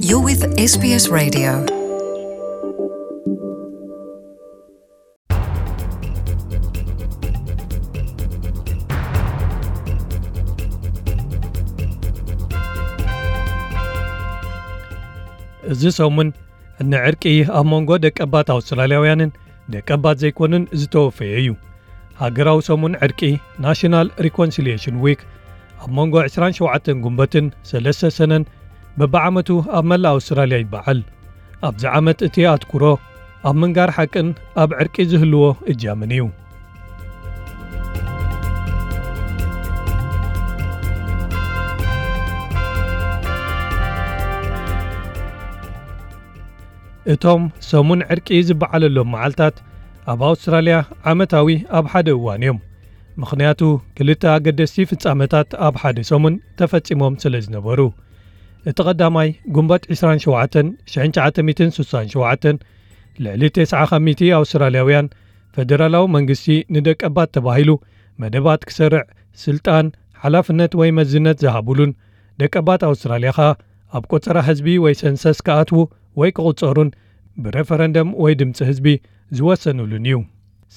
You're with S B S Radio. እዚ ሰሙን ንዕርቂ ኣብ መንጎ ደቀባት ኣውስትራልያውያንን ደቀባት ዘይኮኑን ዝተወፈየ እዩ። ሃገራዊ ሰሙን ዕርቂ፣ ናሽናል ሪኮንሲሊየሽን ዊክ፣ ኣብ መንጎ ዕስራን ሸውዓተን ጉንበትን ሰለስተ ሰነን በብዓመቱ ኣብ መላእ ኣውስትራልያ ይበዓል። ኣብዚ ዓመት እቲ ኣትኩሮ ኣብ ምንጋር ሓቅን ኣብ ዕርቂ ዝህልዎ እጃምን እዩ። እቶም ሰሙን ዕርቂ ዝበዓለሎም መዓልታት ኣብ ኣውስትራልያ ዓመታዊ ኣብ ሓደ እዋን እዮም። ምኽንያቱ ክልተ ኣገደስቲ ፍጻመታት ኣብ ሓደ ሰሙን ተፈጺሞም ስለ ዝነበሩ። እቲ ቀዳማይ ጉንበት ዕስራን ሸውዓተን ሽሕን ትሽዓተ ሚእትን ስሳን ሸውዓተን ልዕሊ ተስዓ ካብ ሚእቲ ኣውስትራልያውያን ፈደራላዊ መንግስቲ ንደቀባት ተባሂሉ መደባት ክሰርዕ ስልጣን፣ ሓላፍነት ወይ መዝነት ዝሃቡሉን ደቀባት ኣውስትራልያ ኸኣ ኣብ ቆጸራ ህዝቢ ወይ ሰንሰስ ክኣትዉ ወይ ክቑጸሩን ብሬፈረንደም ወይ ድምጺ ህዝቢ ዝወሰኑሉን እዩ።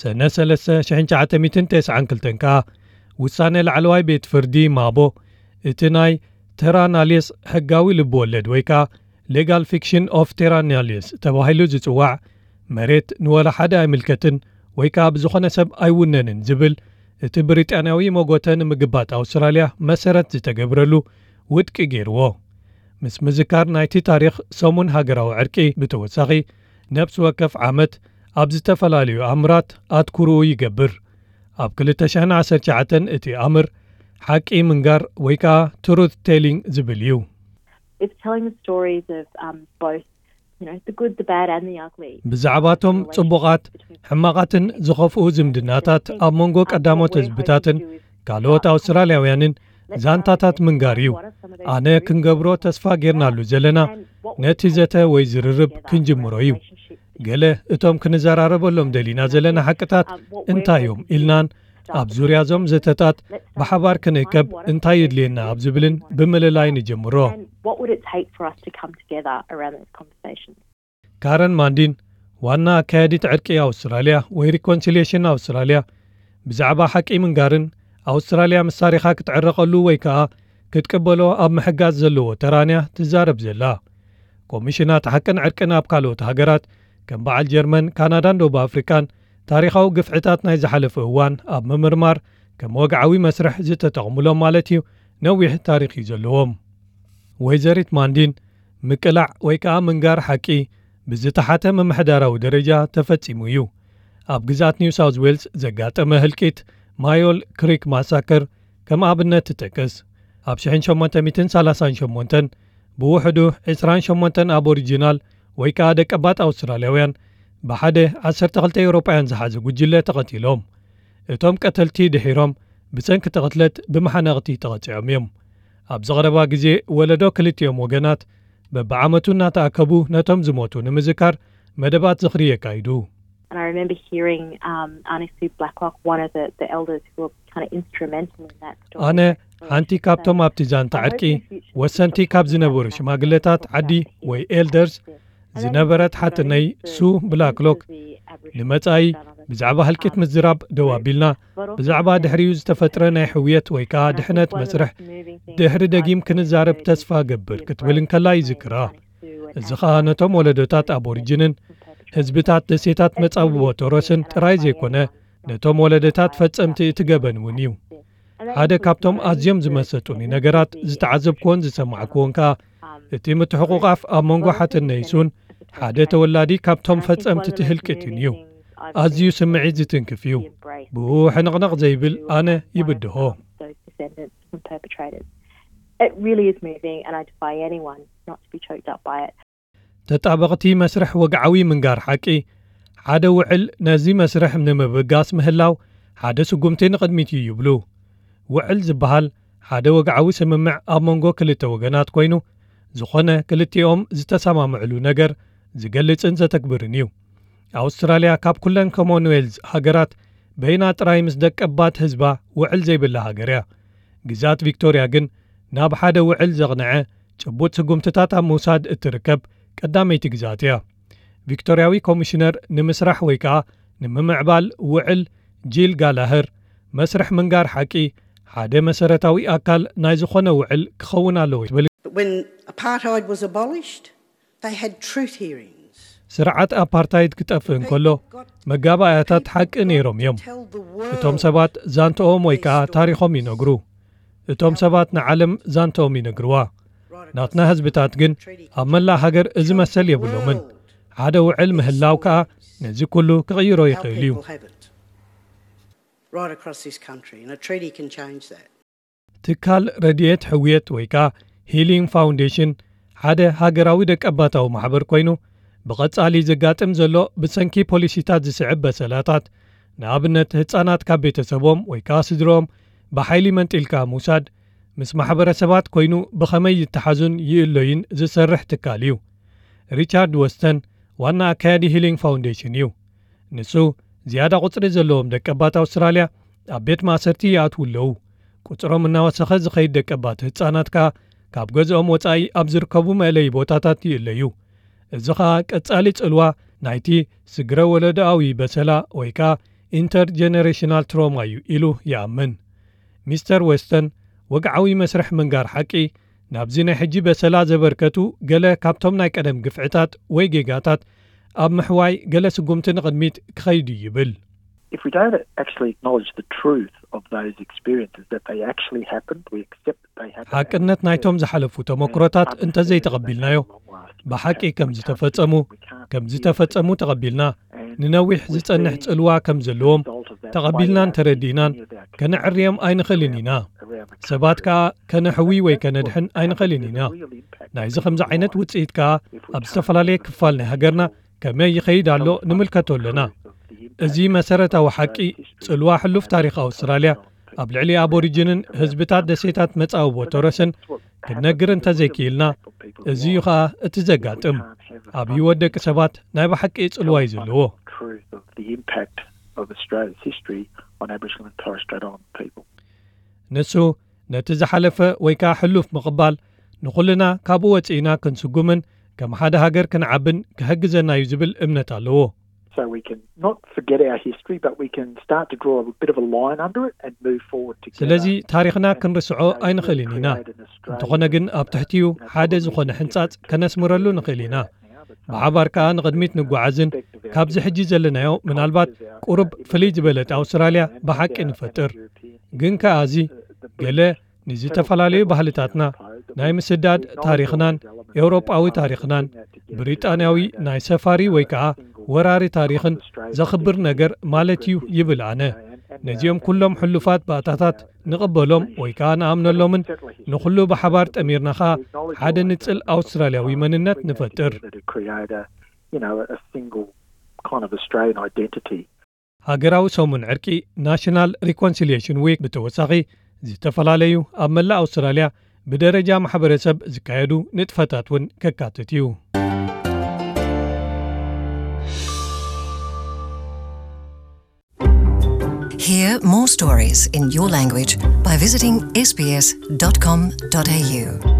ሰነ ሰለስተ ሽሕን ትሽዓተ ሚእትን ተስዓን ክልተን ከኣ ውሳነ ላዕለዋይ ቤት ፍርዲ ማቦ እቲ ናይ ተራ ናልየስ ሕጋዊ ልቢ ወለድ ወይ ከኣ ሌጋል ፊክሽን ኦፍ ቴራ ናልየስ ተባሂሉ ዝጽዋዕ መሬት ንወላ ሓደ ኣይምልከትን ወይ ከኣ ብዝኾነ ሰብ ኣይውነንን ዝብል እቲ ብሪጣንያዊ መጎተ ንምግባጥ ኣውስትራልያ መሰረት ዝተገብረሉ ውድቂ ገይርዎ። ምስ ምዝካር ናይቲ ታሪኽ ሰሙን ሃገራዊ ዕርቂ ብተወሳኺ ነብሲ ወከፍ ዓመት ኣብ ዝተፈላለዩ ኣምራት ኣትኩርኡ ይገብር። ኣብ ክልተ ሽሕን ዓሰርተ ትሽዓተን እቲ ኣምር ሓቂ ምንጋር ወይ ከኣ ትሩት ቴሊንግ ዝብል እዩ። It's telling the stories of um, both, you know, the good, the bad, and the ugly. ብዛዕባቶም ጽቡቓት፣ ሕማቓትን ዝኸፍኡ ዝምድናታት ኣብ መንጎ ቀዳሞት ህዝብታትን ካልኦት ኣውስትራልያውያንን ዛንታታት ምንጋር እዩ። ኣነ ክንገብሮ ተስፋ ጌርናሉ ዘለና ነቲ ዘተ ወይ ዝርርብ ክንጅምሮ እዩ። ገለ እቶም ክንዘራረበሎም ደሊና ዘለና ሓቅታት እንታይ እዮም ኢልናን ኣብ ዙርያ እዞም ዘተታት ብሓባር ክንእከብ እንታይ የድልየና ኣብ ዝብልን ብምልላይ ንጀምሮ። And what would it take for us to come together around those conversations? ካረን ማንዲን ዋና ኣካያዲት ዕርቂ ኣውስትራልያ ወይ ሪኮንሲሊየሽን ኣውስትራልያ ብዛዕባ ሓቂ ምንጋርን ኣውስትራልያ ምስ ታሪኻ ክትዕረቐሉ ወይ ከኣ ክትቅበሎ ኣብ ምሕጋዝ ዘለዎ ተራንያ ትዛረብ ዘላ። ኮሚሽናት ሓቅን ዕርቅን ኣብ ካልኦት ሃገራት ከም በዓል ጀርመን፣ ካናዳን ደቡብ ኣፍሪቃን ታሪኻዊ ግፍዕታት ናይ ዝሓለፈ እዋን ኣብ ምምርማር ከም ወግዓዊ መስርሕ ዝተጠቕሙሎም ማለት እዩ ነዊሕ ታሪኽ እዩ ዘለዎም። ወይዘሪት ማንዲን ምቅላዕ ወይ ከኣ ምንጋር ሓቂ ብዝተሓተ ምምሕዳራዊ ደረጃ ተፈጺሙ እዩ። ኣብ ግዝኣት ኒው ሳውዝ ዌልስ ዘጋጠመ ህልቂት ማዮል ክሪክ ማሳከር ከም ኣብነት ትጠቅስ። ኣብ ሽሕን ሸሞንተ ሚእትን ሰላሳን ሸሞንተን ብውሕዱ ዕስራን ሸሞንተን ኣቦሪጂናል ወይ ከኣ ደቀባት ኣውስትራልያውያን ብሓደ ዓሰርተ ክልተ ኤውሮጳውያን ዝሓዘ ጉጅለ ተቐቲሎም። እቶም ቀተልቲ ድሒሮም ብሰንኪ እቲ ቅትለት ብመሓነቕቲ ተቐጺዖም እዮም። ኣብዚ ቀረባ ግዜ ወለዶ ክልቲኦም ወገናት በብዓመቱ እናተኣከቡ ነቶም ዝሞቱ ንምዝካር መደባት ዝኽሪ የካይዱ። And I remember hearing um, Aunty Sue Blacklock, one of the, the elders who were kind of instrumental in that story. ኣነ ሓንቲ ካብቶም ኣብቲ ዛንታ ዕርቂ ወሰንቲ ካብ ዝነበሩ ሽማግለታት ዓዲ ወይ ኤልደርስ ዝነበረት ሓትነይ ሱ ብላክሎክ ንመጻኢ ብዛዕባ ህልቂት ምዝራብ ደው ኣቢልና፣ ብዛዕባ ድሕሪኡ ዝተፈጥረ ናይ ሕውየት ወይ ከኣ ድሕነት መስርሕ ድሕሪ ደጊም ክንዛረብ ተስፋ ገብር ክትብል እንከላ ይዝክራ። እዚ ኸኣ ነቶም ወለዶታት ኣቦሪጅንን ህዝብታት ደሴታት መጻብቦ ቶረስን ጥራይ ዘይኮነ፣ ነቶም ወለዶታት ፈጸምቲ እቲ ገበን እውን እዩ። ሓደ ካብቶም ኣዝዮም ዝመሰጡኒ ነገራት ዝተዓዘብክዎን ዝሰማዕክዎን ከኣ እቲ ምትሕቑቓፍ ኣብ መንጎ ሓትነይ ሱን ሓደ ተወላዲ ካብቶም ፈጸምቲ እቲ ህልቂትን እዩ። ኣዝዩ ስምዒት ዝትንክፍ እዩ። ብኡ ሕንቕንቕ ዘይብል ኣነ ይብድሆ። Those descendants and perpetrators. It really is moving, and I defy anyone not to be choked up by it. ተጣበቕቲ መስርሕ ወግዓዊ ምንጋር ሓቂ፣ ሓደ ውዕል ነዚ መስርሕ ንምብጋስ ምህላው ሓደ ስጉምቲ ንቕድሚት እዩ ይብሉ። ውዕል ዝበሃል ሓደ ወግዓዊ ስምምዕ ኣብ መንጎ ክልተ ወገናት ኮይኑ፣ ዝኾነ ክልቲኦም ዝተሰማምዕሉ ነገር ዝገልጽን ዘተግብርን እዩ። ኣውስትራልያ ካብ ኩለን ኮሞንዌልዝ ሃገራት በይና ጥራይ ምስ ደቀባት ህዝባ ውዕል ዘይብላ ሃገር እያ። ግዝኣት ቪክቶርያ ግን ናብ ሓደ ውዕል ዘቕንዐ ጭቡጥ ስጉምትታት ኣብ ምውሳድ እትርከብ ቀዳመይቲ ግዝኣት እያ። ቪክቶርያዊ ኮሚሽነር ንምስራሕ ወይ ከኣ ንምምዕባል ውዕል ጂል ጋላህር፣ መስርሕ ምንጋር ሓቂ ሓደ መሰረታዊ ኣካል ናይ ዝኾነ ውዕል ክኸውን ኣለዎ ትብል። When apartheid was abolished, they had truth hearings. ስርዓት ኣፓርታይድ ክጠፍእ እንከሎ፣ መጋባእያታት ሓቂ ነይሮም እዮም። እቶም ሰባት ዛንተኦም ወይ ከኣ ታሪኾም ይነግሩ። እቶም ሰባት ንዓለም ዛንተኦም ይነግርዋ። ናትና ህዝብታት ግን ኣብ መላእ ሃገር እዚ መሰል የብሎምን። ሓደ ውዕል ምህላው ከኣ ነዚ ኩሉ ክቕይሮ ይኽእል እዩ። Right across this country, and a treaty can change that. ትካል ረድኤት ሕውየት ወይ ከኣ ሂሊንግ ፋውንዴሽን ሓደ ሃገራዊ ደቀባታዊ ማሕበር ኮይኑ፣ ብቐጻሊ ዘጋጥም ዘሎ ብሰንኪ ፖሊሲታት ዝስዕብ በሰላታት፣ ንኣብነት ህጻናት ካብ ቤተሰቦም ወይ ከኣ ስድሮም ብሓይሊ መንጢልካ ምውሳድ፣ ምስ ማሕበረሰባት ኮይኑ ብኸመይ ይተሓዙን ይእለዩን ዝሰርሕ ትካል እዩ። ሪቻርድ ወስተን ዋና ኣካያዲ ሂሊንግ ፋውንዴሽን እዩ። ንሱ ዝያዳ ቁጽሪ ዘለዎም ደቀባት ኣውስትራልያ ኣብ ቤት ማእሰርቲ ይኣትዉ ኣለዉ። ቁጽሮም እናወሰኸ ዝኸይድ ደቀባት ህጻናት ከኣ ካብ ገዝኦም ወጻኢ ኣብ ዝርከቡ መእለዪ ቦታታት ይእለዩ። እዚ ኸኣ ቀጻሊ ጽልዋ ናይቲ ስግረ ወለዶኣዊ በሰላ ወይ ከኣ ኢንተርጀነሬሽናል ትሮማ እዩ ኢሉ ይኣምን። ሚስተር ወስተን ወግዓዊ መስርሕ ምንጋር ሓቂ ናብዚ ናይ ሕጂ በሰላ ዘበርከቱ ገለ ካብቶም ናይ ቀደም ግፍዕታት ወይ ጌጋታት ኣብ ምሕዋይ ገለ ስጉምቲ ንቕድሚት ክኸይድ እዩ ይብል። If we don't actually acknowledge the truth of those experiences, that they actually happened, we accept that they happened. ሓቅነት ናይቶም ዝሓለፉ ተመክሮታት እንተዘይተቐቢልናዮ፣ ብሓቂ ከም ዝተፈጸሙ ከም ዝተፈጸሙ ተቐቢልና፣ ንነዊሕ ዝጸንሕ ጽልዋ ከም ዘለዎም ተቐቢልናን ተረዲእናን፣ ከነዕርዮም ኣይንኽእልን ኢና። ሰባት ከኣ ከነሕዊ ወይ ከነድሕን ኣይንኽእልን ኢና። ናይዚ ከምዚ ዓይነት ውጽኢት ከኣ ኣብ ዝተፈላለየ ክፋል ናይ ሃገርና ከመይ ይኸይድ ኣሎ ንምልከቶ ኣለና። እዚ መሰረታዊ ሓቂ፣ ጽልዋ ሕሉፍ ታሪኽ ኣውስትራልያ ኣብ ልዕሊ ኣቦሪጅንን ህዝብታት ደሴታት መጻብቦ ቶረስን ክንነግር እንተዘይክኢልና፣ እዚ እዩ ኸኣ እቲ ዘጋጥም። ኣብ ህይወት ደቂ ሰባት ናይ ብሓቂ ጽልዋ እዩ ዘለዎ። Truth of the impact of Australia's history on Aboriginal and Torres Strait Islander people. ንሱ ነቲ ዝሓለፈ ወይ ከኣ ሕሉፍ ምቕባል ንኹልና ካብኡ ወጺእና ክንስጉምን ከም ሓደ ሃገር ክንዓብን ክሕግዘና እዩ ዝብል እምነት ኣለዎ። So we can not forget our history, but we can start to draw a bit of a line under it and move forward together. ስለዚ ታሪኽና ክንርስዖ ኣይንኽእልን ኢና። እንተኾነ ግን ኣብ ትሕቲኡ ሓደ ዝኾነ ሕንጻጽ ከነስምረሉ ንኽእል ኢና። ብሓባር ከኣ ንቕድሚት ንጓዓዝን ካብዚ ሕጂ ዘለናዮ ምናልባት ቁሩብ ፍልይ ዝበለት ኣውስትራልያ ብሓቂ ንፈጥር። ግን ከኣ እዚ ገለ ንዝተፈላለዩ ባህልታትና ናይ ምስዳድ ታሪኽናን ኤውሮጳዊ ታሪኽናን ብሪጣንያዊ ናይ ሰፋሪ ወይ ከኣ ወራሪ ታሪኽን ዘኽብር ነገር ማለት እዩ ይብል ኣነ። ነዚኦም ኩሎም ሕሉፋት ባእታታት ንቕበሎም ወይ ከኣ ንኣምነሎምን ንኹሉ ብሓባር ጠሚርና ኸኣ ሓደ ንጽል ኣውስትራልያዊ መንነት ንፈጥር። That create a, you know, a single kind of Australian identity. ሃገራዊ ሰሙን ዕርቂ ናሽናል ሪኮንሲሊየሽን ዊክ ብተወሳኺ ዝተፈላለዩ ኣብ መላእ ኣውስትራልያ ብደረጃ ማሕበረሰብ ዝካየዱ ንጥፈታት እውን ከካትት እዩ። Hear more stories in your language by visiting S B S dot com dot A U.